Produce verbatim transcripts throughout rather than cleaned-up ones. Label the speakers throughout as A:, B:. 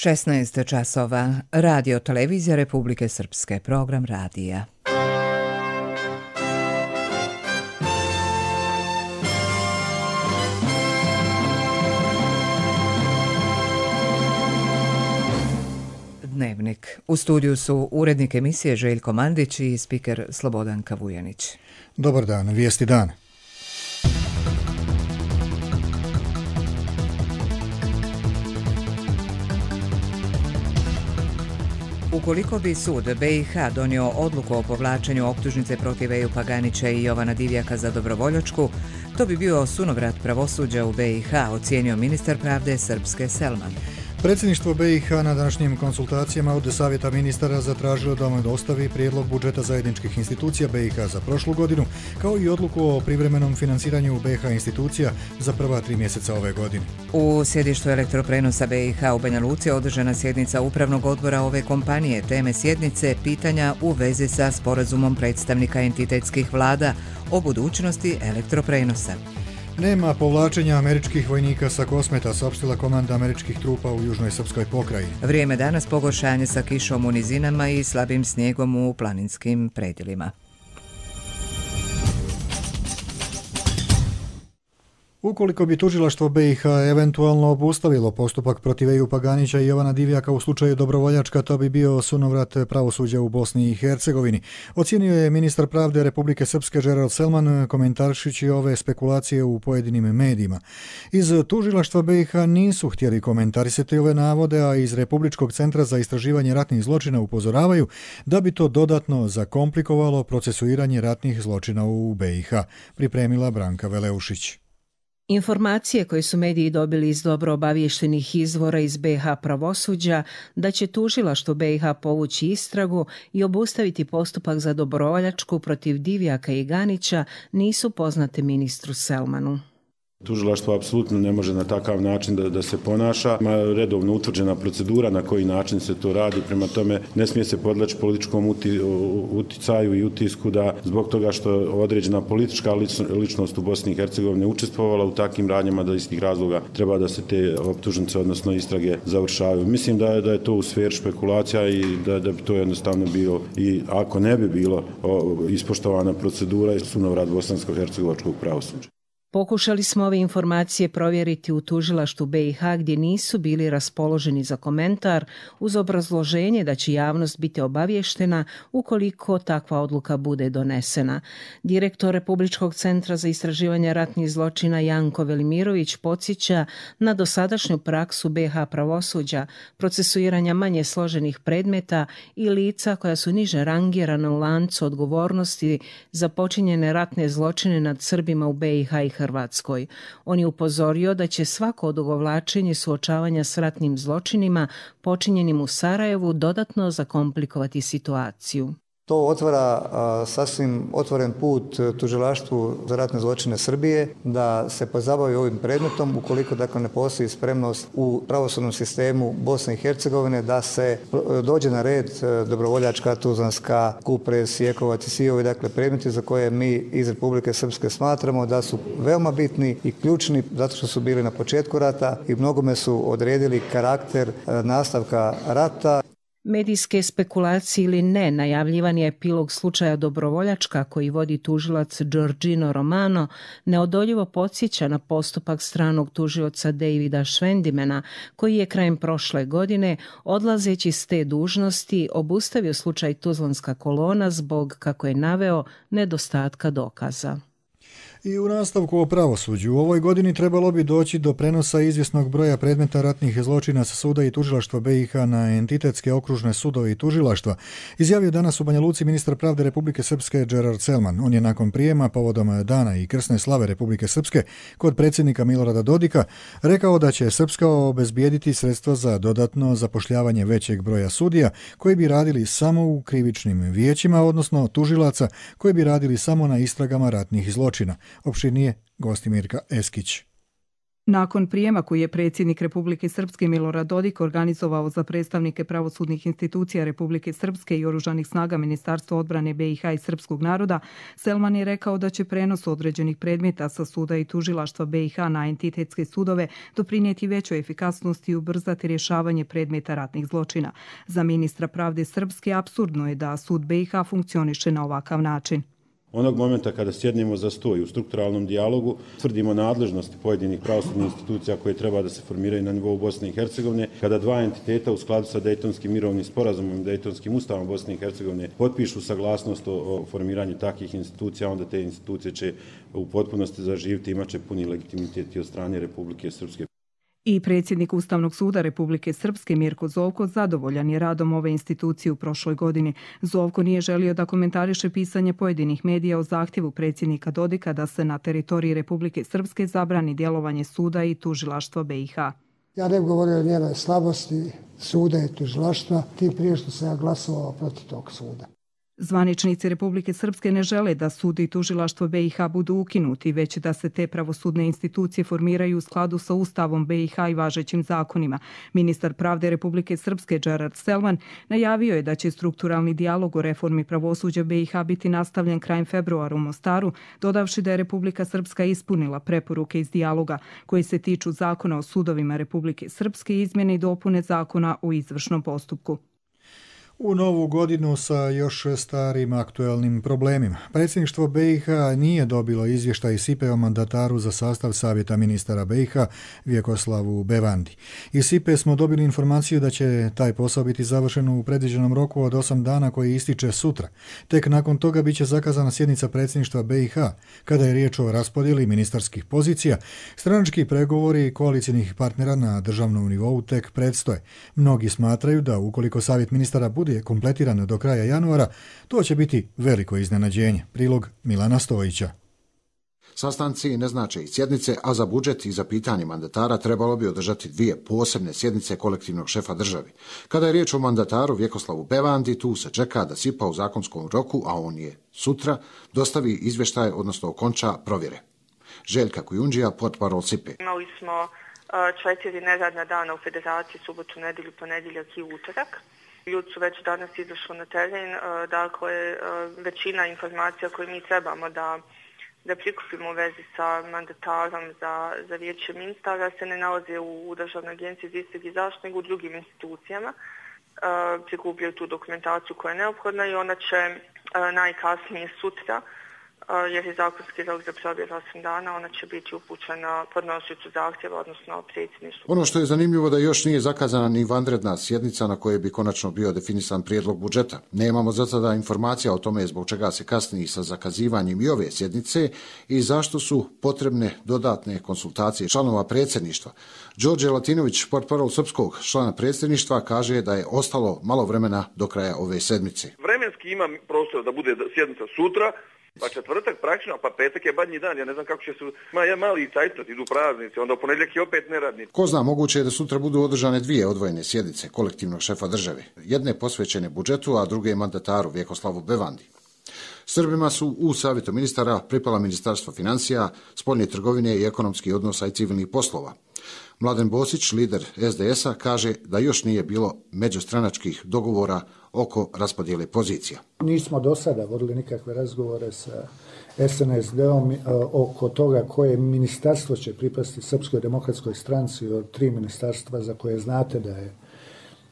A: šesnaest časova. Radio televizija Republike Srpske. Program radija. Dnevnik. U studiju su urednik emisije Željko Mandić i spiker Slobodan Kavujanić.
B: Dobar dan, vijesti dan.
A: Ukoliko bi sud B i H donio odluku o povlačenju optužnice protiv Eju Paganića i Jovana Divjaka za dobrovoljačku, to bi bio sunovrat pravosuđa u B i H, ocijenio ministar pravde Srpske Selman.
B: Predsjedništvo B i H na današnjim konsultacijama od Savjeta ministara zatražilo da mu dostavi prijedlog budžeta zajedničkih institucija B i H za prošlu godinu, kao i odluku o privremenom financiranju B i H institucija za prva tri mjeseca ove godine.
A: U sjedištu elektroprenosa B i H u Banja Luci održana sjednica upravnog odbora ove kompanije. Teme sjednice pitanja u vezi sa sporazumom predstavnika entitetskih vlada o budućnosti elektroprenosa.
B: Nema povlačenja američkih vojnika sa Kosmeta, saopštila komanda američkih trupa u južnoj srpskoj pokrajini.
A: Vrijeme danas pogoršanje sa kišom u nizinama i slabim snijegom u planinskim predjelima.
B: Ukoliko bi tužilaštvo B i H eventualno obustavilo postupak protiv Eju Paganića i Jovana Divjaka u slučaju dobrovoljačka, to bi bio sunovrat pravosuđa u Bosni i Hercegovini. Ocijenio je ministar pravde Republike Srpske Gerald Selman, komentaršići ove spekulacije u pojedinim medijima. Iz tužilaštva B i H nisu htjeli komentarisati ove navode, a iz Republičkog centra za istraživanje ratnih zločina upozoravaju da bi to dodatno zakomplikovalo procesuiranje ratnih zločina u B i H, pripremila Branka Veleušić.
C: Informacije koje su mediji dobili iz dobro obaviještenih izvora iz B i H pravosuđa da će tužilaštvo B i H povući istragu i obustaviti postupak za dobrovoljačku protiv Divjaka i Ganića nisu poznate ministru Selmanu.
D: Tužilaštvo apsolutno ne može na takav način da, da se ponaša. Ima redovno utvrđena procedura na koji način se to radi, prema tome ne smije se podleći političkom uti, uticaju i utisku da zbog toga što određena politička ličnost u Bosni i Hercegovini učestvovala u takvim radnjama, da iz tih razloga treba da se te optužnice, odnosno istrage, završavaju. Mislim da, da je to u sferi špekulacija i da, da bi to jednostavno bilo, i ako ne bi bilo o, ispoštovana procedura i sunovrat bosansko-hercegovačkog pravosuđa.
C: Pokušali smo ove informacije provjeriti u tužilaštvu B i H gdje nisu bili raspoloženi za komentar uz obrazloženje da će javnost biti obavještena ukoliko takva odluka bude donesena. Direktor Republičkog centra za istraživanje ratnih zločina Janko Velimirović podsjeća na dosadašnju praksu B i H pravosuđa, procesuiranja manje složenih predmeta i lica koja su niže rangirana u lancu odgovornosti za počinjene ratne zločine nad Srbima u B i H i Hrvatskoj. On je upozorio da će svako odugovlačenje suočavanja s ratnim zločinima počinjenim u Sarajevu dodatno zakomplikovati situaciju.
E: To otvara a, sasvim otvoren put tužilaštvu za ratne zločine Srbije da se pozabavi ovim predmetom ukoliko dakle ne postoji spremnost u pravosudnom sistemu Bosne i Hercegovine da se dođe na red dobrovoljačka, tuzlanska, Kupres, Sjekovac i svi ovi dakle predmeti za koje mi iz Republike Srpske smatramo da su veoma bitni i ključni zato što su bili na početku rata i mnogome su odredili karakter nastavka rata.
C: Medijske spekulacije ili ne, najavljivan je epilog slučaja dobrovoljačka koji vodi tužilac Giorgino Romano, neodoljivo podsjeća na postupak stranog tužioca Davida Švendimena, koji je krajem prošle godine, odlazeći s te dužnosti, obustavio slučaj Tuzlanska kolona zbog, kako je naveo, nedostatka dokaza.
B: I u nastavku o pravosuđu, u ovoj godini trebalo bi doći do prenosa izvjesnog broja predmeta ratnih zločina sa suda i tužilaštva B i H na entitetske okružne sudove i tužilaštva, izjavio danas u Banja Luci ministar pravde Republike Srpske Gerald Selman. On je nakon prijema povodom dana i krsne slave Republike Srpske kod predsjednika Milorada Dodika rekao da će Srpska obezbijediti sredstva za dodatno zapošljavanje većeg broja sudija koji bi radili samo u krivičnim vijećima, odnosno tužilaca koji bi radili samo na istragama ratnih zločina. Opširnije Gostimirka Eskić.
F: Nakon prijema koji je predsjednik Republike Srpske Milorad Dodik organizovao za predstavnike pravosudnih institucija Republike Srpske i oružanih snaga Ministarstva odbrane B i H i srpskog naroda, Selman je rekao da će prenos određenih predmeta sa suda i tužilaštva B i H na entitetske sudove doprinijeti većoj efikasnosti i ubrzati rješavanje predmeta ratnih zločina. Za ministra pravde Srpske apsurdno je da sud B i H funkcioniše na ovakav način.
D: Onog momenta kada sjednemo za sto i u strukturalnom dijalogu tvrdimo nadležnosti pojedinih pravosudnih institucija koje treba da se formiraju na nivou Bosne i Hercegovine, kada dva entiteta u skladu sa Dejtonskim mirovnim sporazumom i Dejtonskim ustavom Bosne i Hercegovine potpišu saglasnost o formiranju takvih institucija, onda te institucije će u potpunosti zaživiti i imat će puni legitimitet i od strane Republike Srpske.
F: I predsjednik Ustavnog suda Republike Srpske Mirko Zovko zadovoljan je radom ove institucije u prošloj godini. Zovko nije želio da komentariše pisanje pojedinih medija o zahtjevu predsjednika Dodika da se na teritoriji Republike Srpske zabrani djelovanje suda i tužilaštva B i H.
G: Ja ne govorio o njenoj slabosti suda i tužilaštva, tim prije što sam ja glasovao protiv tog suda.
F: Zvaničnici Republike Srpske ne žele da sud i tužilaštvo B i H budu ukinuti, već da se te pravosudne institucije formiraju u skladu sa Ustavom B i H i važećim zakonima. Ministar pravde Republike Srpske Gerard Selman najavio je da će strukturalni dijalog o reformi pravosuđa B i H biti nastavljen krajem februara u Mostaru, dodavši da je Republika Srpska ispunila preporuke iz dijaloga koji se tiču zakona o sudovima Republike Srpske i izmjene i dopune zakona o izvršnom postupku.
B: U novu godinu sa još starim aktuelnim problemima. Predsjedništvo B i H nije dobilo izvještaj S I P E o mandataru za sastav Savjeta ministara B i H Vjekoslavu Bevandi. Iz S I P E smo dobili informaciju da će taj posao biti završen u predviđenom roku od osam dana koji ističe sutra. Tek nakon toga bit će zakazana sjednica predsjedništva B i H. Kada je riječ o raspodjeli ministarskih pozicija, stranački pregovori koalicijnih partnera na državnom nivou tek predstoje. Mnogi smatraju da ukoliko Savjet ministara bude kompletiran do kraja januara, to će biti veliko iznenađenje. Prilog Milana Stojića.
H: Sastanci ne znače i sjednice, a za budžet i za pitanje mandatara trebalo bi održati dvije posebne sjednice kolektivnog šefa državi. Kada je riječ o mandataru Vjekoslavu Bevandi, tu se čeka da S I P A u zakonskom roku, a on je sutra, dostavi izvještaj, odnosno okonča provjere. Željka Kujundžija, portparol S I P E.
I: Imali smo četiri neradna dana u federaciji, subotu, nedjelju, ponedjeljak i utorak. Ljudi su već danas izašli na teren, dakle većina informacija koje mi trebamo da, da prikupimo u vezi sa mandatarom za, za vijeće ministara se ne nalaze u Državnoj agenciji za istrage i zaštitu, nego u drugim institucijama. Prikupljaju tu dokumentaciju koja je neophodna i ona će najkasnije sutra, jer je zakonski rok za provjeru osam dana, ona će biti upućena podnosiocu zahtjeva, odnosno predsjedništvu.
H: Ono što je zanimljivo da još nije zakazana ni vanredna sjednica na kojoj bi konačno bio definisan prijedlog budžeta. Nemamo za sada informacija o tome zbog čega se kasni sa zakazivanjem i ove sjednice i zašto su potrebne dodatne konsultacije članova predsjedništva. Đorđe Latinović, portparol srpskog člana predsjedništva, kaže da je ostalo malo vremena do kraja ove sedmice.
J: Vremenski ima prostor da bude sjednica sutra, pa četvrtak praktično, pa petak je badnji dan, ja ne znam kako će se, ma ja mali cajtnat, idu praznici, onda u ponedjeljak je opet neradni.
H: Ko zna, moguće je da sutra budu održane dvije odvojene sjednice kolektivnog šefa države, jedne posvećene budžetu, a druge mandataru Vjekoslavu Bevandi. Srbima su u Savjetu ministara pripala Ministarstvo financija, spoljne trgovine i ekonomskih odnosa i civilnih poslova. Mladen Bosić, lider S D S-a, kaže da još nije bilo međustranačkih dogovora oko raspodjele pozicija.
G: Nismo do sada vodili nikakve razgovore sa S N S D-om oko toga koje ministarstvo će pripasti Srpskoj demokratskoj stranci od tri ministarstva za koje znate da je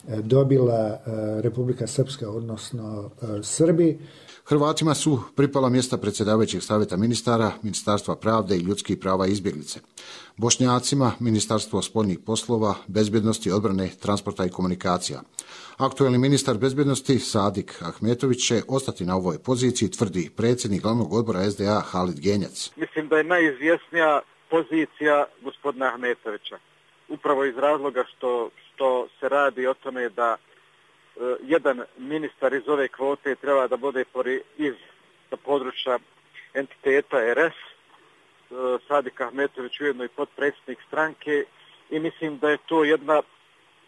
G: dobila Republika Srpska, odnosno Srbi.
H: Hrvatima su pripala mjesta predsjedavajućeg savjeta ministara, Ministarstva pravde i ljudskih prava i izbjeglice. Bošnjacima Ministarstvo spoljnih poslova, bezbjednosti, odbrane, transporta i komunikacija. Aktuelni ministar bezbjednosti Sadik Ahmetović će ostati na ovoj poziciji, tvrdi predsjednik glavnog odbora S D A Halid Genjac.
K: Mislim da je najizvjesnija pozicija gospodina Ahmetovića. Upravo iz razloga što, što se radi o tome da jedan ministar iz ove kvote treba da bude iz područja entiteta R S, Sadik Ahmetović ujedno i potpredsjednik stranke i mislim da je to jedna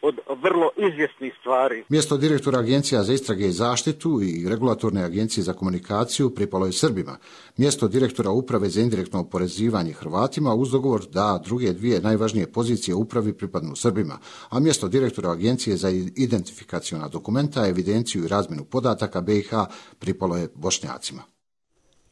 K: od vrlo izvjesnih stvari.
H: Mjesto direktora Agencija za istrage i zaštitu i Regulatorne agencije za komunikaciju pripalo je Srbima. Mjesto direktora Uprave za indirektno oporezivanje Hrvatima uz dogovor da druge dvije najvažnije pozicije upravi pripadnu Srbima, a mjesto direktora Agencije za identifikaciona dokumenta, evidenciju i razmjenu podataka B i H pripalo je Bošnjacima.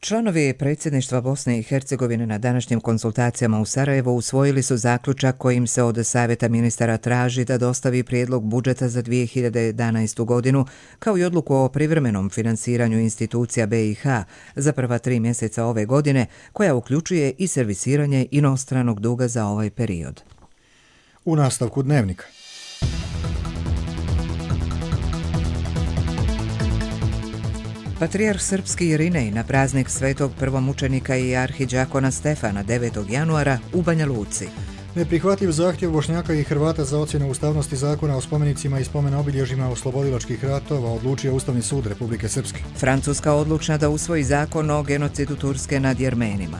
A: Članovi predsjedništva Bosne i Hercegovine na današnjim konsultacijama u Sarajevu usvojili su zaključak kojim se od Savjeta ministara traži da dostavi prijedlog budžeta za dvije hiljade jedanaestu. godinu, kao i odluku o privremenom finansiranju institucija B i H za prva tri mjeseca ove godine, koja uključuje i servisiranje inostranog duga za ovaj period.
B: U nastavku dnevnika.
A: Patrijarh srpski Irinej na praznik svetog prvomučenika i arhidžakona Stefana devetog januara u Banja Luci.
B: Neprihvatljiv zahtjev Bošnjaka i Hrvata za ocjenu ustavnosti zakona o spomenicima i spomen obilježjima oslobodilačkih ratova odlučio Ustavni sud Republike Srpske.
A: Francuska odlučna da usvoji zakon o genocidu Turske nad Jermenima.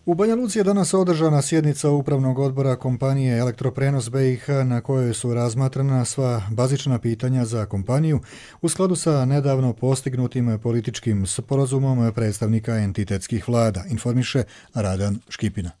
B: U Banja Luci je danas održana sjednica upravnog odbora kompanije Elektroprenos B i H na kojoj su razmatrana sva bazična pitanja za kompaniju u skladu sa nedavno postignutim političkim sporazumom predstavnika entitetskih vlada, informiše Radan Škipina.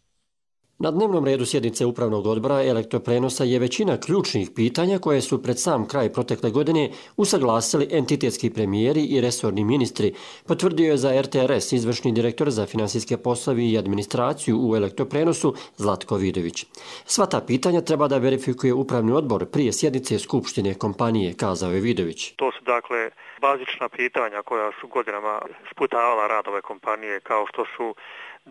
L: Na dnevnom redu sjednice upravnog odbora Elektroprenosa je većina ključnih pitanja koje su pred sam kraj protekle godine usaglasili entitetski premijeri i resorni ministri, potvrdio je za R T R S izvršni direktor za finansijske poslove i administraciju u Elektroprenosu Zlatko Vidović. Sva ta pitanja treba da verifikuje upravni odbor prije sjednice skupštine kompanije, kazao je Vidović.
M: To su dakle bazična pitanja koja su godinama sputavala rad ove kompanije, kao što su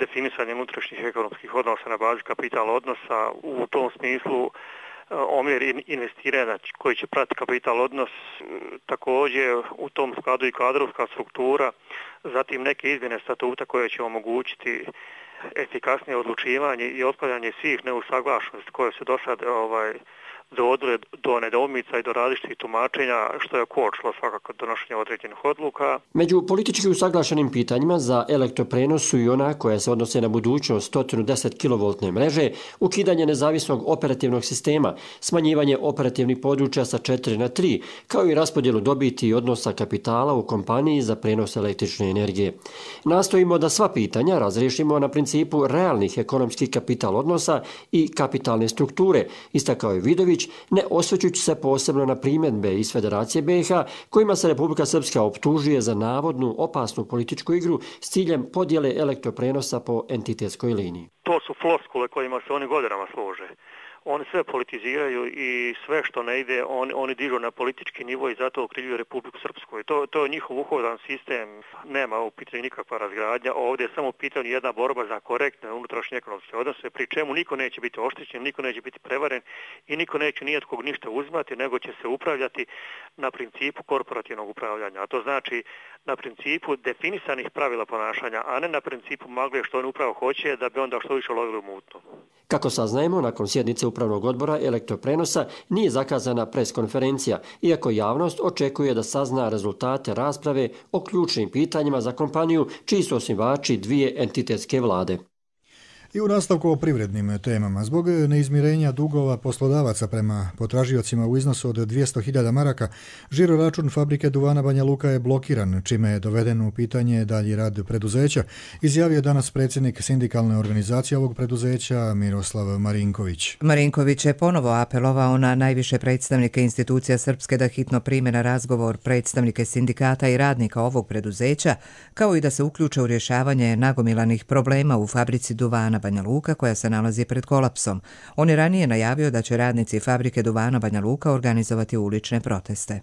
M: definisanje unutrašnjih ekonomskih odnosa na bazi kapital odnosa, u tom smislu omjer investiranja koji će pratiti kapital odnos, također u tom skladu i kadrovska struktura, zatim neke izmjene statuta koje će omogućiti efikasnije odlučivanje i otklanjanje svih neusaglašenosti koje su do sad ovaj, dovodile do nedoumica i do različitih tumačenja, što je kočilo svakako donošenje određenih odluka.
L: Među politički usaglašenim pitanjima za Elektroprenos su i ona koja se odnose na budućnost sto deset kilovoltne mreže, ukidanje nezavisnog operativnog sistema, smanjivanje operativnih područja sa četiri na tri, kao i raspodjelu dobiti i odnosa kapitala u kompaniji za prenos električne energije. Nastojimo da sva pitanja razriješimo na principu realnih ekonomskih kapital odnosa i kapitalne strukture, istakao je Vidović, ne osvrćući se posebno na primjedbe iz Federacije B i H kojima se Republika Srpska optužuje za navodnu opasnu političku igru s ciljem podjele elektroprenosa po entitetskoj liniji.
M: To su floskule kojima se oni godinama služe. Oni sve politiziraju i sve što ne ide, oni, oni dižu na politički nivo i zato okrivljuju Republiku Srpsku. I to, to je njihov uhodan sistem, nema u pitanju nikakva razgradnja. Ovdje je samo u pitanju jedna borba za korektne unutrašnje ekonomske odnose, pri čemu niko neće biti oštećen, niko neće biti prevaren i niko neće ni od kog ništa uzimati, nego će se upravljati na principu korporativnog upravljanja. A to znači na principu definisanih pravila ponašanja, a ne na principu magle što on upravo hoće, da bi onda što više lovili u mutno.
L: Kako saznajemo, nakon sjednice upravnog odbora Elektroprenosa nije zakazana preskonferencija, iako javnost očekuje da sazna rezultate rasprave o ključnim pitanjima za kompaniju, čiji su osnivači dvije entitetske vlade.
B: I u nastavku o privrednim temama. Zbog neizmirenja dugova poslodavaca prema potražiocima u iznosu od dvjesto hiljada maraka, žiro račun fabrike duvana Banja Luka je blokiran, čime je doveden u pitanje dalji rad preduzeća, izjavio danas predsjednik sindikalne organizacije ovog preduzeća Miroslav Marinković.
A: Marinković je ponovo apelovao na najviše predstavnike institucija Srpske da hitno prime na razgovor predstavnike sindikata i radnika ovog preduzeća, kao i da se uključe u rješavanje nagomilanih problema u fabrici duvana Banja Luka koja se nalazi pred kolapsom. On je ranije najavio da će radnici fabrike duvana Banja Luka organizovati ulične proteste.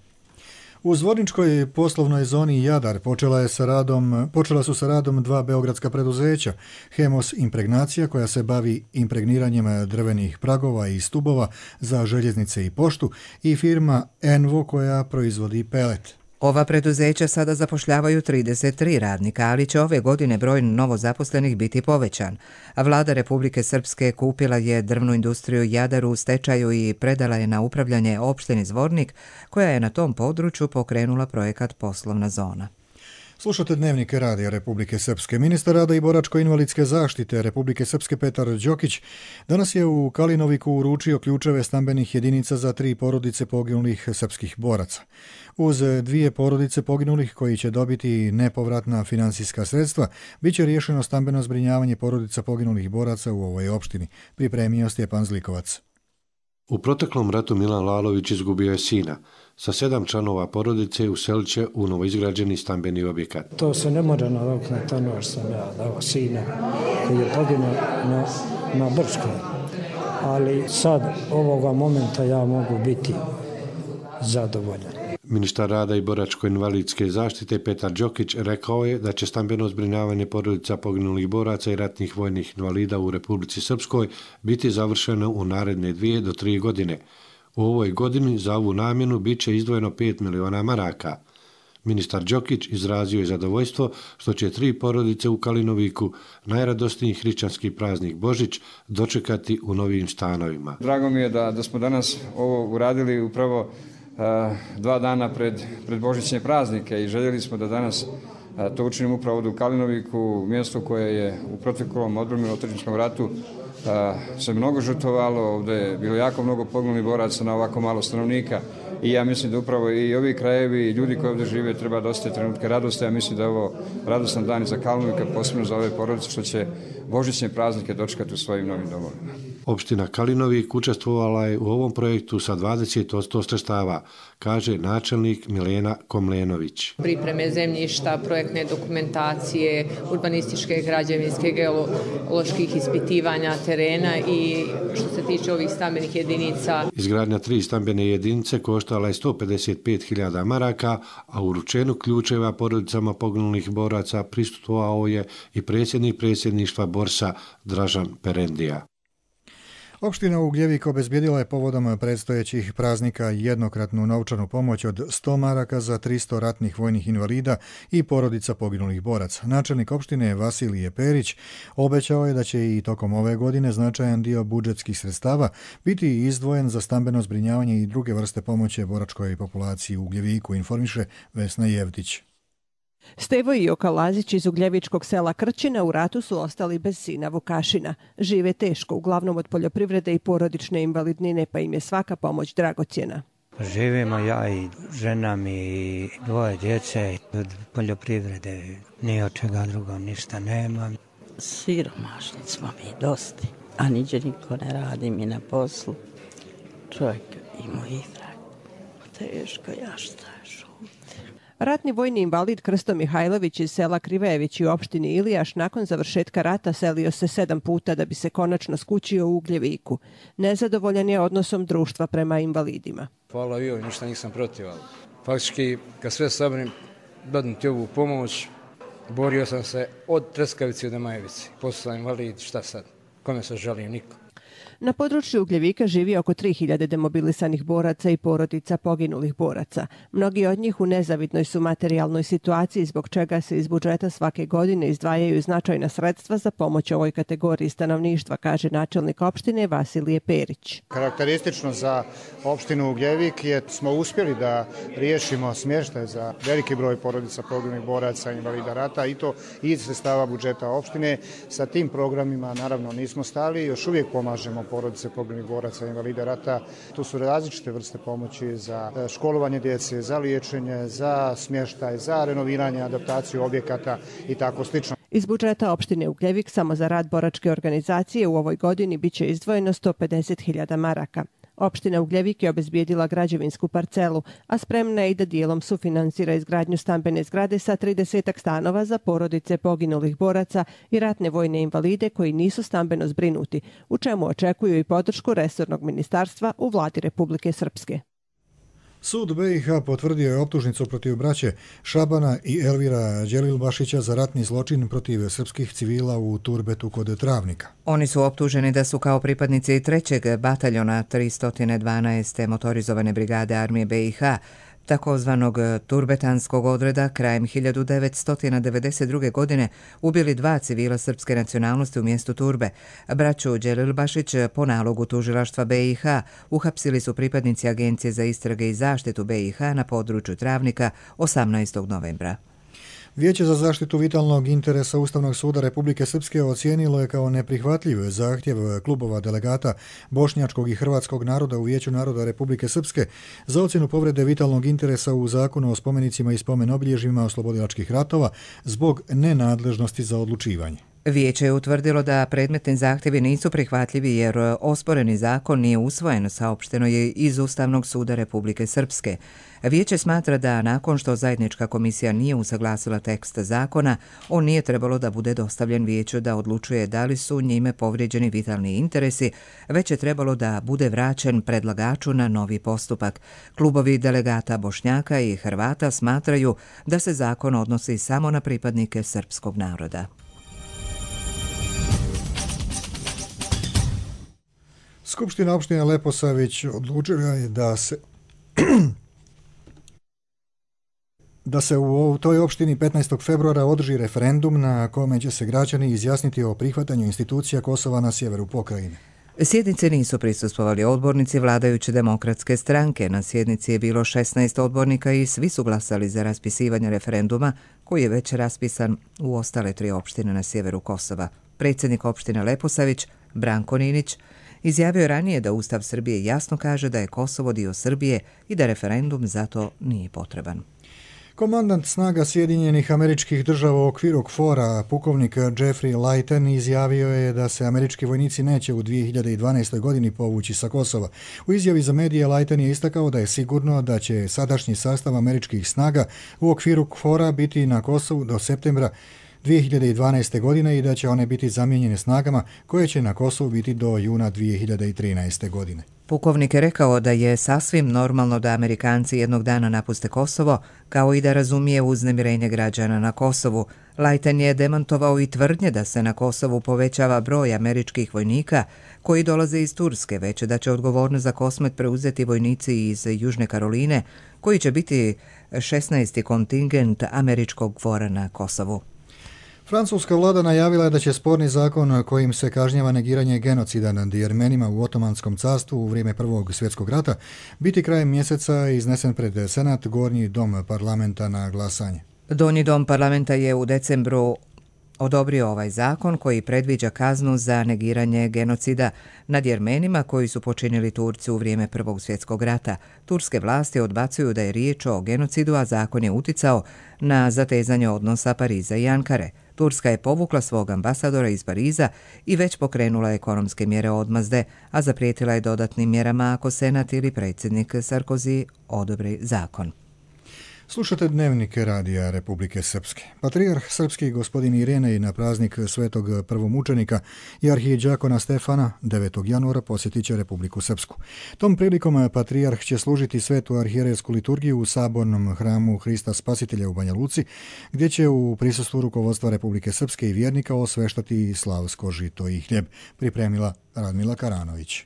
B: U Zvorničkoj poslovnoj zoni Jadar počela, je sa radom, počela su sa radom dva beogradska preduzeća, Hemos Impregnacija koja se bavi impregniranjem drvenih pragova i stubova za željeznice i poštu i firma Envo koja proizvodi pelet.
A: Ova preduzeća sada zapošljavaju trideset tri radnika, ali će ove godine broj novozaposlenih biti povećan. A vlada Republike Srpske kupila je drvnu industriju Jadaru u stečaju i predala je na upravljanje opštini Zvornik, koja je na tom području pokrenula projekat Poslovna zona.
B: Slušate Dnevnik Radija Republike Srpske. Ministar rada i boračko-invalidske zaštite Republike Srpske Petar Đokić danas je u Kalinoviku uručio ključeve stambenih jedinica za tri porodice poginulih srpskih boraca. Uz dvije porodice poginulih koji će dobiti nepovratna finansijska sredstva, bit će riješeno stambeno zbrinjavanje porodica poginulih boraca u ovoj opštini, pripremio Stjepan Zlikovac.
N: U proteklom ratu Milan Lalović izgubio je sina. Sa sedam članova porodice uselit će u novoizgrađeni stambeni objekat.
O: To se ne može nadoknaditi, ono što sam ja dao sina koji je poginuo na, na Brčkoj. Ali sad, ovoga momenta, ja mogu biti zadovoljan.
N: Ministar rada i boračko-invalidske zaštite Petar Đokić rekao je da će stambeno zbrinjavanje porodica poginulih boraca i ratnih vojnih invalida u Republici Srpskoj biti završeno u naredne dvije do tri godine. U ovoj godini za ovu namjenu bit će izdvojeno pet miliona maraka. Ministar Đokić izrazio je zadovoljstvo što će tri porodice u Kalinoviku, najradosniji hrišćanski praznik Božić, dočekati u novim stanovima.
P: Drago mi je da, da smo danas ovo uradili upravo uh, dva dana pred, pred Božićne praznike i željeli smo da danas uh, to učinimo upravo ovdje u Kalinoviku, mjesto koje je u proteklom odbrani u otadžbinskom ratu Uh, se mnogo žrtvovalo, ovdje je bilo jako mnogo poginulih boraca na ovako malo stanovnika i ja mislim da upravo i ovi krajevi i ljudi koji ovdje žive treba da osjete trenutke radosti. Ja mislim da je ovo radostan dan za Kalinović, posebno za ove porodice što će božićne praznike dočekati u svojim novim domovima.
N: Opština Kalinovik učestvovala je u ovom projektu sa dvadeset posto sredstava, kaže načelnik Milena Komlenović.
Q: Pripreme zemljišta, projektne dokumentacije, urbanističke, građevinske, geoloških ispitivanja terena i što se tiče ovih stambenih jedinica.
N: Izgradnja tri stambene jedinice koštala je sto pedeset pet hiljada maraka, a u uručenju ključeva porodicama poginulih boraca prisustvovao je i predsjednik predsjedništva Borsa Dražan Perendija.
B: Opština Ugljevik obezbijedila je povodom predstojećih praznika jednokratnu novčanu pomoć od sto maraka za tristo ratnih vojnih invalida i porodica poginulih boraca. Načelnik opštine Vasilije Perić obećao je da će i tokom ove godine značajan dio budžetskih sredstava biti izdvojen za stambeno zbrinjavanje i druge vrste pomoći boračkoj populaciji u Ugljeviku, informiše Vesna Jevtić.
R: Stevo i Joka Lazić iz ugljevičkog sela Krčina u ratu su ostali bez sina Vukašina. Žive teško, uglavnom od poljoprivrede i porodične invalidnine, pa im je svaka pomoć dragocjena.
S: Živimo ja i žena mi i dvoje djece od poljoprivrede, ni od čega drugo ništa nema.
T: Siromašni smo mi dosti, a niđe niko ne radi mi na poslu. Čovjek ima i drag. Teško, ja šta šutim.
R: Ratni vojni invalid Krsto Mihajlović iz sela Krivejević u opštini Ilijaš nakon završetka rata selio se sedam puta da bi se konačno skućio u Ugljeviku. Nezadovoljan je odnosom društva prema invalidima.
U: Hvala joj, ništa nisam protiv. Faktički, kad sve sabrim, dadim ti ovu pomoć, borio sam se od Treskavice do Majevice. Posle sam invalid, šta sad? Kome se žalim? Niko.
R: Na području Ugljevika živi oko tri hiljade demobilisanih boraca i porodica poginulih boraca. Mnogi od njih u nezavidnoj su materijalnoj situaciji, zbog čega se iz budžeta svake godine izdvajaju značajna sredstva za pomoć ovoj kategoriji stanovništva, kaže načelnik opštine Vasilije Perić.
V: Karakteristično za opštinu Ugljevik je smo uspjeli da riješimo smještaj za veliki broj porodica poginulih boraca i invalida rata i to iz sredstava budžeta opštine. Sa tim programima naravno nismo stali, još uvijek pomažemo porodice poginulih boraca i invalida rata. Tu su različite vrste pomoći za školovanje djece, za liječenje, za smještaj, za renoviranje, adaptaciju objekata i tako slično.
R: Iz budžeta opštine Ugljevik samo za rad boračke organizacije u ovoj godini biće izdvojeno sto pedeset hiljada maraka. Opština Ugljevik je obezbijedila građevinsku parcelu, a spremna je i da dijelom sufinansira izgradnju stambene zgrade sa tridesetak stanova za porodice poginulih boraca i ratne vojne invalide koji nisu stambeno zbrinuti, u čemu očekuju i podršku resornog ministarstva u vladi Republike Srpske.
B: Sud B i H potvrdio je optužnicu protiv braće Šabana i Elvira Đelilbašića za ratni zločin protiv srpskih civila u Turbetu kod Travnika.
A: Oni su optuženi da su kao pripadnici trećeg bataljona tristo dvanaeste motorizovane brigade armije B i H takozvanog turbetanskog odreda krajem hiljadu devetsto devedeset druge. godine ubili dva civila srpske nacionalnosti u mjestu Turbe. Braću Đelilbašić po nalogu tužilaštva B i H uhapsili su pripadnici Agencije za istrage i zaštitu B i H na području Travnika osamnaestog novembra.
B: Vijeće za zaštitu vitalnog interesa Ustavnog suda Republike Srpske ocijenilo je kao neprihvatljiv zahtjev klubova delegata bošnjačkog i hrvatskog naroda u Vijeću naroda Republike Srpske za ocjenu povrede vitalnog interesa u Zakonu o spomenicima i spomen obilježjima oslobodilačkih ratova zbog nenadležnosti za odlučivanje.
A: Vijeće je utvrdilo da predmetni zahtjevi nisu prihvatljivi jer osporeni zakon nije usvojen, saopšteno je iz Ustavnog suda Republike Srpske. Vijeće smatra da nakon što zajednička komisija nije usaglasila tekst zakona, on nije trebalo da bude dostavljen vijeću da odlučuje da li su njime povrijeđeni vitalni interesi, već je trebalo da bude vraćen predlagaču na novi postupak. Klubovi delegata Bošnjaka i Hrvata smatraju da se zakon odnosi samo na pripadnike srpskog naroda.
B: Skupština opštine Leposavić odlučila je da se da se u toj opštini petnaestog februara održi referendum na kome će se građani izjasniti o prihvatanju institucija Kosova na sjeveru pokrajine.
A: Sjednice nisu prisustvovali odbornici vladajuće demokratske stranke. Na sjednici je bilo šesnaest odbornika i svi su glasali za raspisivanje referenduma koji je već raspisan u ostale tri opštine na sjeveru Kosova. Predsjednik opštine Leposavić, Branko Ninić, izjavio je ranije da Ustav Srbije jasno kaže da je Kosovo dio Srbije i da referendum zato nije potreban.
B: Komandant snaga Sjedinjenih Američkih Država u okviru KFOR-a, pukovnik Jeffrey Leighton, izjavio je da se američki vojnici neće u dvije hiljade dvanaestoj. godini povući sa Kosova. U izjavi za medije Leighton je istakao da je sigurno da će sadašnji sastav američkih snaga u okviru KFOR-a biti na Kosovu do septembra dvije hiljade dvanaeste. godine i da će one biti zamijenjene snagama koje će na Kosovu biti do juna dvije hiljade trinaeste. godine.
A: Pukovnik je rekao da je sasvim normalno da Amerikanci jednog dana napuste Kosovo, kao i da razumije uznemirenje građana na Kosovu. Leighton je demantovao i tvrdnje da se na Kosovu povećava broj američkih vojnika koji dolaze iz Turske, već da će odgovornost za Kosmet preuzeti vojnici iz Južne Karoline, koji će biti šesnaesti kontingent američkog KFOR-a na Kosovu.
B: Francuska vlada najavila je da će sporni zakon kojim se kažnjava negiranje genocida nad Jermenima u Otomanskom carstvu u vrijeme Prvog svjetskog rata biti krajem mjeseca iznesen pred Senat, Gornji dom parlamenta, na glasanje.
A: Donji dom parlamenta je u decembru odobrio ovaj zakon koji predviđa kaznu za negiranje genocida nad Jermenima koji su počinili Turci u vrijeme Prvog svjetskog rata. Turske vlasti odbacuju da je riječ o genocidu, a zakon je uticao na zatezanje odnosa Pariza i Ankare. Turska je povukla svog ambasadora iz Pariza i već pokrenula ekonomske mjere odmazde, a zaprijetila je dodatnim mjerama ako Senat ili predsjednik Sarkozy odobri zakon.
B: Slušate Dnevnik Radija Republike Srpske. Patrijarh srpski gospodin Irinej na praznik svetog prvomučenika i arhiđakona Stefana devetog januara posjetit će Republiku Srpsku. Tom prilikom patrijarh će služiti svetu arhijerejsku liturgiju u sabornom hramu Hrista Spasitelja u Banja Luci, gdje će u prisustvu rukovodstva Republike Srpske i vjernika osveštati slavsko žito i hljeb, pripremila Radmila Karanović.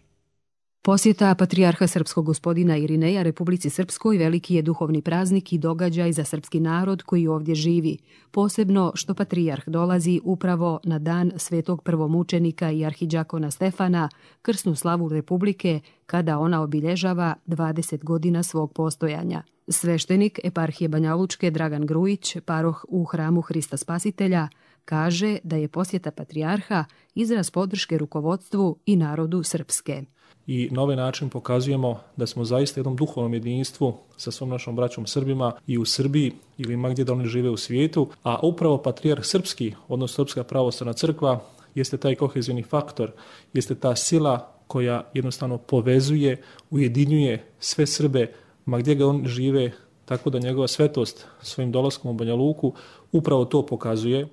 C: Posjeta patrijarha srpskog gospodina Irineja Republici Srpskoj veliki je duhovni praznik i događaj za srpski narod koji ovdje živi, posebno što patrijarh dolazi upravo na dan svetog prvomučenika i arhiđakona Stefana, krsnu slavu Republike, kada ona obilježava dvadeset godina svog postojanja. Sveštenik eparhije Banja Lučke Dragan Grujić, paroh u hramu Hrista Spasitelja, kaže da je posjeta patrijarha izraz podrške rukovodstvu i narodu Srpske.
E: I na ovaj način pokazujemo da smo zaista jednom duhovnom jedinstvu sa svom našom braćom Srbima i u Srbiji ili ma gdje da oni žive u svijetu, a upravo patrijarh srpski, odnosno Srpska pravoslavna crkva, jeste taj kohezivni faktor, jeste ta sila koja jednostavno povezuje, ujedinjuje sve Srbe ma gdje ga oni žive, tako da njegova svetost svojim dolaskom u Banja Luku upravo to pokazuje.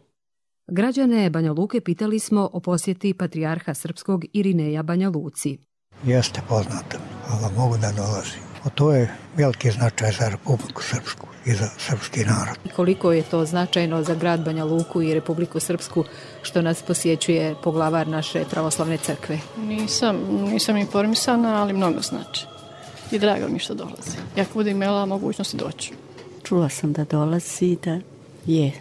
C: Građane Banja Luke pitali smo o posjeti patrijarha srpskog Irineja Banja Luci.
W: Jeste poznato, ali mogu da dolazi. A to je veliki značaj za Republiku Srpsku i za srpski narod.
C: Koliko je to značajno za grad Banja Luku i Republiku Srpsku što nas posjećuje poglavar naše pravoslavne crkve?
X: Nisam, nisam informisana, ali mnogo znači. I drago mi što dolazi. Jak budem imala mogućnosti doći.
T: Čula sam da dolazi, da je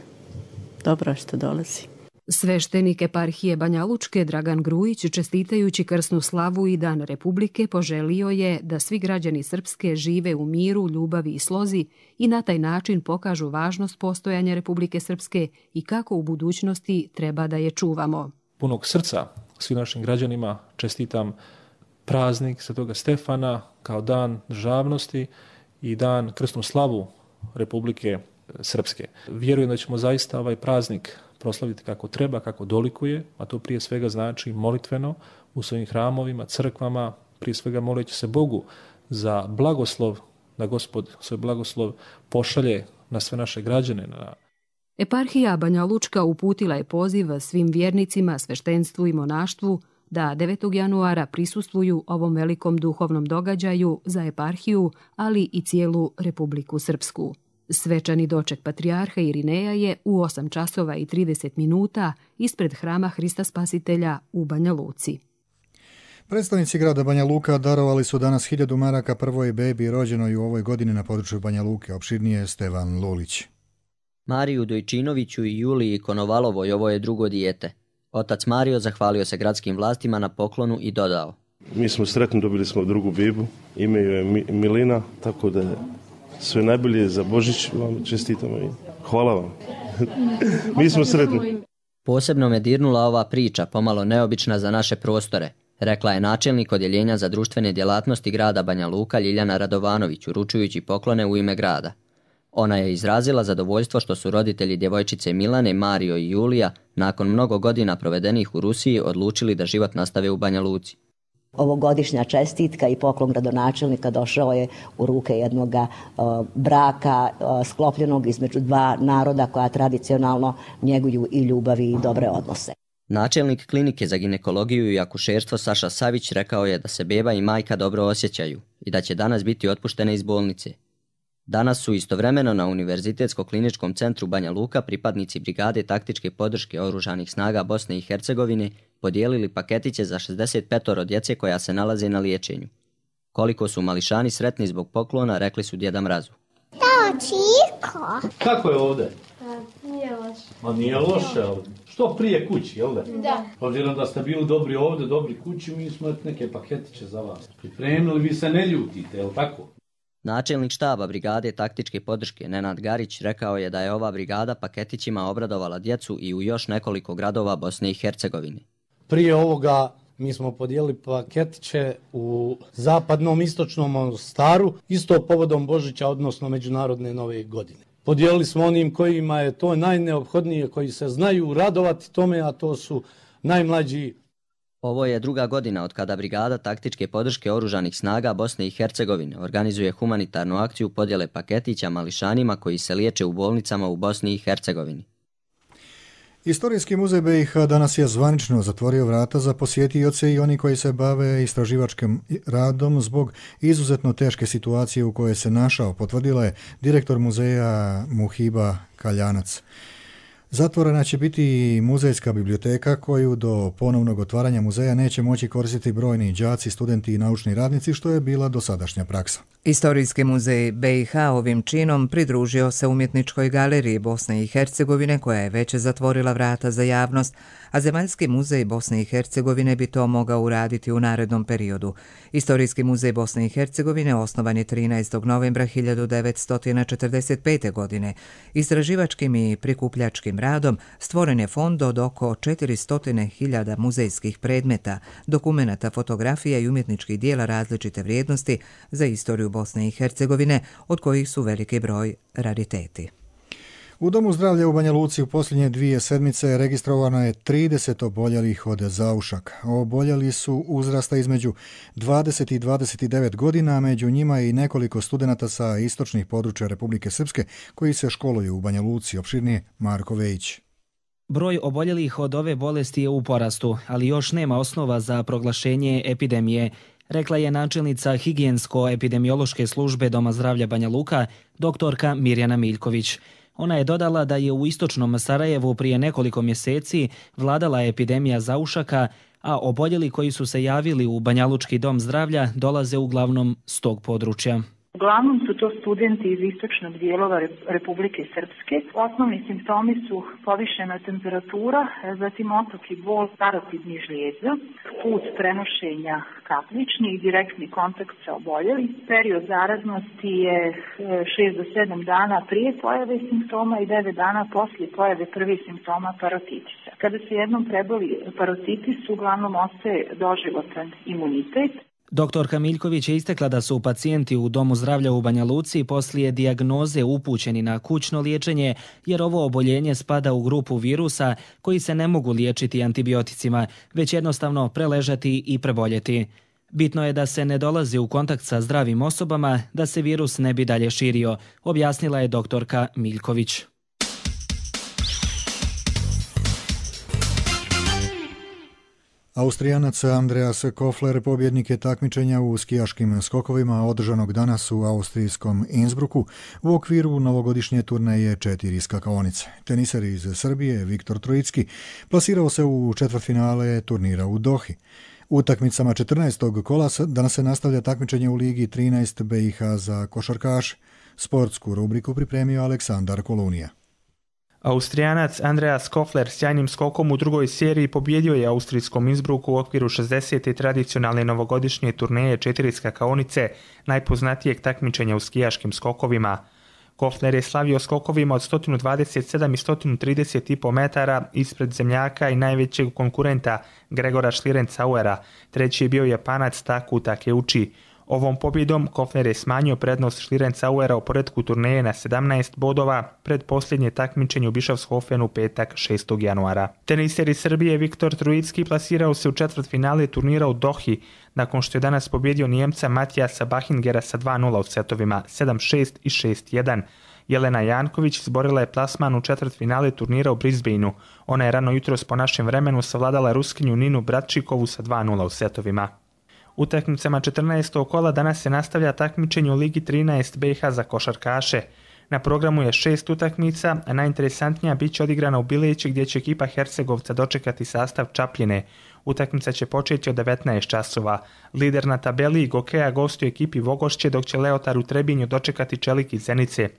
T: dobro što dolazi.
C: Sveštenik eparhije Banja Lučke Dragan Grujić, čestitajući krsnu slavu i Dan Republike, poželio je da svi građani Srpske žive u miru, ljubavi i slozi i na taj način pokažu važnost postojanja Republike Srpske i kako u budućnosti treba da je čuvamo.
E: Punog srca svim našim građanima čestitam praznik Svetoga Stefana kao dan državnosti i dan krsnu slavu Republike Srpske. Vjerujem da ćemo zaista ovaj praznik proslaviti kako treba, kako dolikuje, a to prije svega znači molitveno u svojim hramovima, crkvama, prije svega moleći se Bogu za blagoslov, da Gospod svoj blagoslov pošalje na sve naše građane. Na...
C: Eparhija Banja Lučka uputila je poziv svim vjernicima, sveštenstvu i monaštvu da devetog januara prisustvuju ovom velikom duhovnom događaju za eparhiju, ali i cijelu Republiku Srpsku. Svečani doček patrijarha Irineja je u osam časova i trideset minuta ispred hrama Hrista Spasitelja u Banja Luci.
B: Predstavnici grada Banja Luka darovali su danas hiljadu maraka prvoj bebi rođenoj u ovoj godini na području Banja Luke. Opširnije Stevan Lulić.
D: Mariju Dojčinoviću i Juliji Konovalovoj ovo je drugo dijete. Otac Mario zahvalio se gradskim vlastima na poklonu i dodao:
F: Mi smo sretni, dobili smo drugu bebu, ime joj je Milina, tako da sve najbolje za Božić vam čestitamo i hvala vam. Mi smo sretni.
D: Posebno me dirnula ova priča, pomalo neobična za naše prostore, rekla je načelnik odjeljenja za društvene djelatnosti grada Banja Luka Ljiljana Radovanović, uručujući poklone u ime grada. Ona je izrazila zadovoljstvo što su roditelji djevojčice Milane, Mario i Julija, nakon mnogo godina provedenih u Rusiji, odlučili da život nastave u Banja Luci.
I: Ovogodišnja čestitka i poklon gradonačelnika došao je u ruke jednog uh, braka uh, sklopljenog između dva naroda koja tradicionalno njeguju i ljubavi i dobre odnose.
D: Načelnik klinike za ginekologiju i akušerstvo Saša Savić rekao je da se beba i majka dobro osjećaju i da će danas biti otpuštene iz bolnice. Danas su istovremeno na Univerzitetsko-kliničkom centru Banja Luka pripadnici brigade taktičke podrške Oružanih snaga Bosne i Hercegovine podijelili paketiće za šezdeset pet djece koja se nalaze na liječenju. Koliko su mališani sretni zbog poklona, rekli su Djeda Mrazu.
J: Da, Čiko!
Y: Kako je ovdje?
J: Nije loše.
Y: Ma nije loše, ali što prije kući, jel da?
J: Da.
Y: Obzirom da ste bili dobri ovdje, dobri kući, mi smo neke paketiće za vas pripremili, vi se ne ljutite, jel tako?
D: Načelnik štaba brigade taktičke podrške Nenad Garić rekao je da je ova brigada paketićima obradovala djecu i u još nekoliko gradova Bosne i Hercegovine.
Y: Prije ovoga mi smo podijelili paketiće u zapadnom istočnom Mostaru, isto povodom Božića, odnosno Međunarodne nove godine. Podijelili smo onim kojima je to najneophodnije, koji se znaju radovati tome, a to su najmlađi.
D: Ovo je druga godina od kada brigada taktičke podrške Oružanih snaga Bosne i Hercegovine organizuje humanitarnu akciju podjele paketića mališanima koji se liječe u bolnicama u Bosni i Hercegovini.
B: Istorijski muzej B i H danas je zvanično zatvorio vrata za posjetioce i oni koji se bave istraživačkim radom zbog izuzetno teške situacije u kojoj se našao, potvrdila je direktor muzeja Muhiba Kaljanac. Zatvorena će biti i muzejska biblioteka koju do ponovnog otvaranja muzeja neće moći koristiti brojni đaci, studenti i naučni radnici, što je bila dosadašnja praksa.
A: Istorijski muzej B i H ovim činom pridružio se Umjetničkoj galeriji Bosne i Hercegovine koja je već zatvorila vrata za javnost, a Zemaljski muzej Bosne i Hercegovine bi to mogao uraditi u narednom periodu. Istorijski muzej Bosne i Hercegovine osnovan je trinaestog novembra hiljadu devetsto četrdeset pete. godine. Istraživačkim i prikupljačkim radom stvoren je fond od oko četiristo hiljada muzejskih predmeta, dokumenata, fotografija i umjetničkih dijela različite vrijednosti za istoriju Bosne i Hercegovine, od kojih su veliki broj rariteti.
B: U Domu zdravlja u Banja Luci u posljednje dvije sedmice registrovano je trideset oboljelih od zaušaka. Oboljeli su uzrasta između dvadeset i dvadeset devet godina, među njima i nekoliko studenata sa istočnih područja Republike Srpske koji se školuju u Banja Luci. Opširnije Marko Vejić.
Z: Broj oboljelih od ove bolesti je u porastu, ali još nema osnova za proglašenje epidemije, rekla je načelnica higijensko-epidemiološke službe Doma zdravlja Banja Luka, doktorka Mirjana Miljković. Ona je dodala da je u istočnom Sarajevu prije nekoliko mjeseci vladala epidemija zaušaka, a oboljeli koji su se javili u Banjalučki dom zdravlja dolaze uglavnom s tog područja.
G: Uglavnom su to studenti iz istočnog dijelova Republike Srpske. Osnovni simptomi su povišena temperatura, zatim otok i bol parotidnih žlijeza, put prenošenja kapljični i direktni kontakt sa oboljelim. Period zaraznosti je šest do sedam dana prije pojave simptoma i devet dana poslije pojave prvih simptoma parotitisa. Kada se jednom preboli parotitis, uglavnom ostaje doživotan imunitet.
Z: Doktorka Miljković je istakla da su pacijenti u Domu zdravlja u Banja Luci poslije dijagnoze upućeni na kućno liječenje, jer ovo oboljenje spada u grupu virusa koji se ne mogu liječiti antibioticima, već jednostavno preležati i preboljeti. Bitno je da se ne dolazi u kontakt sa zdravim osobama, da se virus ne bi dalje širio, objasnila je doktorka Miljković.
B: Austrijanac Andreas Kofler pobjednik je takmičenja u skijaškim skokovima održanog danas u austrijskom Innsbrucku u okviru novogodišnje turneje četiri skakaonice. Teniser iz Srbije Viktor Trojicki plasirao se u četvrtfinale turnira u Dohi. U utakmicama četrnaestog kola danas se nastavlja takmičenje u Ligi trinaest B i H za košarkaše. Sportsku rubriku pripremio Aleksandar Kolunija.
H: Austrijanac Andreas Kofler sjajnim skokom u drugoj seriji pobjedio je austrijskom Innsbrucku u okviru šezdesete tradicionalne novogodišnje turneje četiri skakaonice, najpoznatijeg takmičenja u skijaškim skokovima. Kofler je slavio skokovima od sto dvadeset sedam i sto trideset i pet metara ispred zemljaka i najvećeg konkurenta Gregora Schlierencauera. Treći je bio Japanac Taku Takeuchi. Ovom pobjedom Kofler je smanjio prednost Schlierencauera u poretku turneje na sedamnaest bodova pred posljednje takmičenje u Bischofshofenu u petak šestog januara. Teniser iz Srbije Viktor Trojicki plasirao se u četvrtfinale turnira u Dohi, nakon što je danas pobjedio Nijemca Matijasa Bahingera sa dva nula u setovima sedam šest i šest jedan. Jelena Janković izborila je plasman u četvrtfinale turnira u Brisbaneu. Ona je rano jutros po našem vremenu savladala Ruskinju Ninu Bratčikovu sa dva nula u setovima. Utakmicama četrnaestog kola danas se nastavlja takmičenje u Ligi trinaest B i H za košarkaše. Na programu je šest utakmica, a najinteresantnija bit će odigrana u Bileći gdje će ekipa Hercegovca dočekati sastav Čapljine. Utakmica će početi od devetnaest časova. Lider na tabeli Gokeja gostuje ekipi Vogošće, dok će Leotar u Trebinju dočekati Čelik iz Zenice.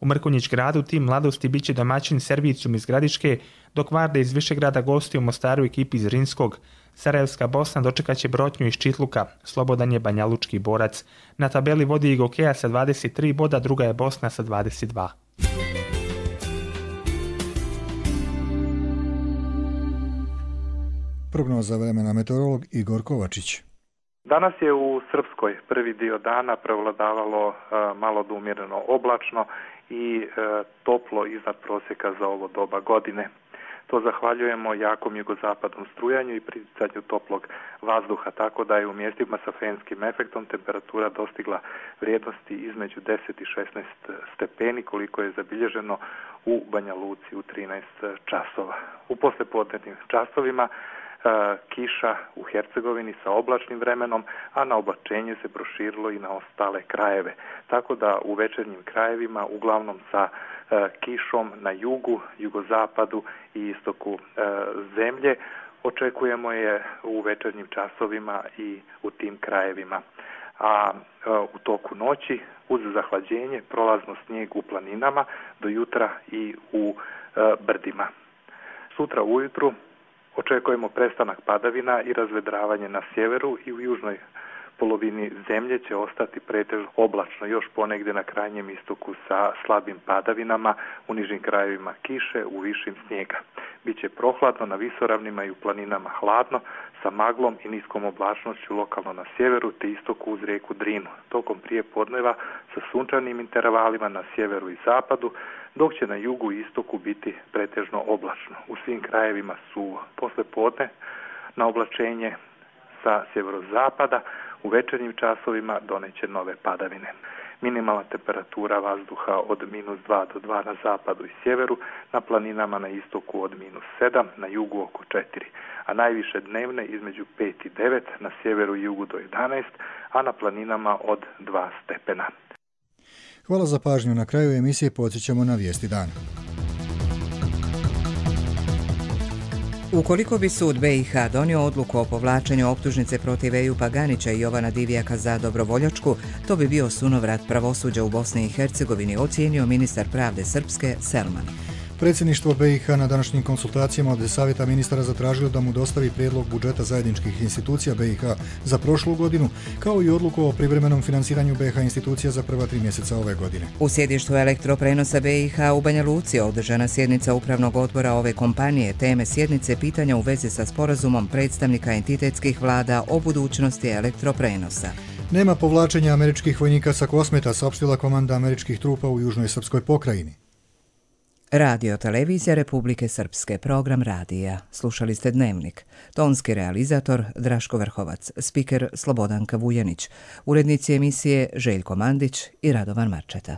H: U Mrkonjić gradu tim mladosti bit će domaćin Servicijum iz Gradiške, dok Varda iz Višegrada gostuje u Mostaru ekipi iz Rinskog. Sarajevska Bosna dočekat će Brotnju iz Čitluka, Slobodan je banjalučki borac. Na tabeli vodi i Gokeja sa dvadeset tri boda, druga je Bosna sa dvadeset dva.
B: Prognoza vremena meteorolog Igor Kovačić.
K: Danas je u Srpskoj prvi dio dana prevladavalo uh, malo do umjereno oblačno i uh, toplo iznad prosjeka za ovo doba godine. To zahvaljujemo jakom jugozapadnom strujanju i priticanju toplog vazduha, tako da je u mjestima sa fenskim efektom temperatura dostigla vrijednosti između deset i šesnaest stepeni, koliko je zabilježeno u Banja Luci u trinaest časova. U poslijepodnevnim časovima kiša u Hercegovini sa oblačnim vremenom, a na oblačenje se proširilo i na ostale krajeve. Tako da u večernjim krajevima, uglavnom sa e, kišom na jugu, jugozapadu i istoku e, zemlje, očekujemo je u večernjim časovima i u tim krajevima. A e, u toku noći, uz zahlađenje, prolazno snijeg u planinama, do jutra i u e, brdima. Sutra ujutru očekujemo prestanak padavina i razvedravanje na sjeveru i u južnoj polovini zemlje će ostati pretežno oblačno, još ponegdje na krajnjem istoku sa slabim padavinama, u nižim krajevima kiše, u višim snijega. Biće prohladno na visoravnima i u planinama hladno, sa maglom i niskom oblačnošću lokalno na sjeveru te istoku uz rijeku Drinu. Tokom prije podneva sa sunčanim intervalima na sjeveru i zapadu, dok će na jugu i istoku biti pretežno oblačno. U svim krajevima su posle podne na oblačenje sa sjeverozapada, u večernjim časovima doneće nove padavine. Minimalna temperatura vazduha od minus dva do dva na zapadu i sjeveru, na planinama na istoku od minus sedam, na jugu oko četiri, a najviše dnevne između pet i devet, na sjeveru i jugu do jedanaest, a na planinama od dva stepena.
B: Hvala za pažnju. Na kraju emisije podsjećamo na vijesti dana.
A: Ukoliko bi sud be i ha donio odluku o povlačenju optužnice protiv Ejupa Paganića i Jovana Divjaka za dobrovoljačku, to bi bio sunovrat pravosuđa u Bosni i Hercegovini, ocijenio ministar pravde Srpske Selman.
B: Predsjedništvo be i ha na današnjim konsultacijama od savjeta ministara zatražilo da mu dostavi prijedlog budžeta zajedničkih institucija be i ha za prošlu godinu, kao i odluku o privremenom finansiranju be ha institucija za prva tri mjeseca ove godine.
A: U sjedištu elektroprenosa be i ha u Banja Luci održana sjednica upravnog odbora ove kompanije. Teme sjednice pitanja u vezi sa sporazumom predstavnika entitetskih vlada o budućnosti elektroprenosa.
B: Nema povlačenja američkih vojnika sa Kosmeta, saopštila komanda američkih trupa u južnoj srpskoj pokrajini.
A: Radio Televizija Republike Srpske, program radija. Slušali ste Dnevnik. Tonski realizator Draško Vrhovac, spiker Slobodanka Vujanić, urednici emisije Željko Mandić i Radovan Marčeta.